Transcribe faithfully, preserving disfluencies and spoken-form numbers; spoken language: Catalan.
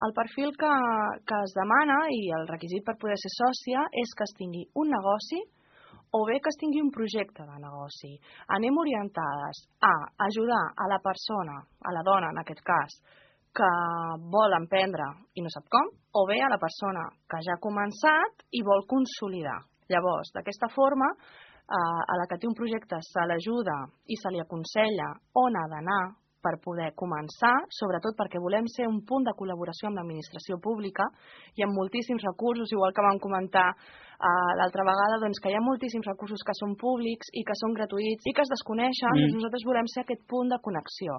El perfil que, que es demana i el requisit per poder ser sòcia és que es tingui un negoci o bé que es tingui un projecte de negoci. Anem orientades a ajudar a la persona, a la dona en aquest cas, que vol emprendre i no sap com, o bé a la persona que ja ha començat i vol consolidar. Llavors, d'aquesta forma, eh, a la que té un projecte se l'ajuda i se li aconsella on ha d'anar per poder començar, sobretot perquè volem ser un punt de col·laboració amb l'administració pública i amb moltíssims recursos, igual que vam comentar uh, l'altra vegada, doncs que hi ha moltíssims recursos que són públics i que són gratuïts i que es desconeixen, mm. doncs nosaltres volem ser aquest punt de connexió.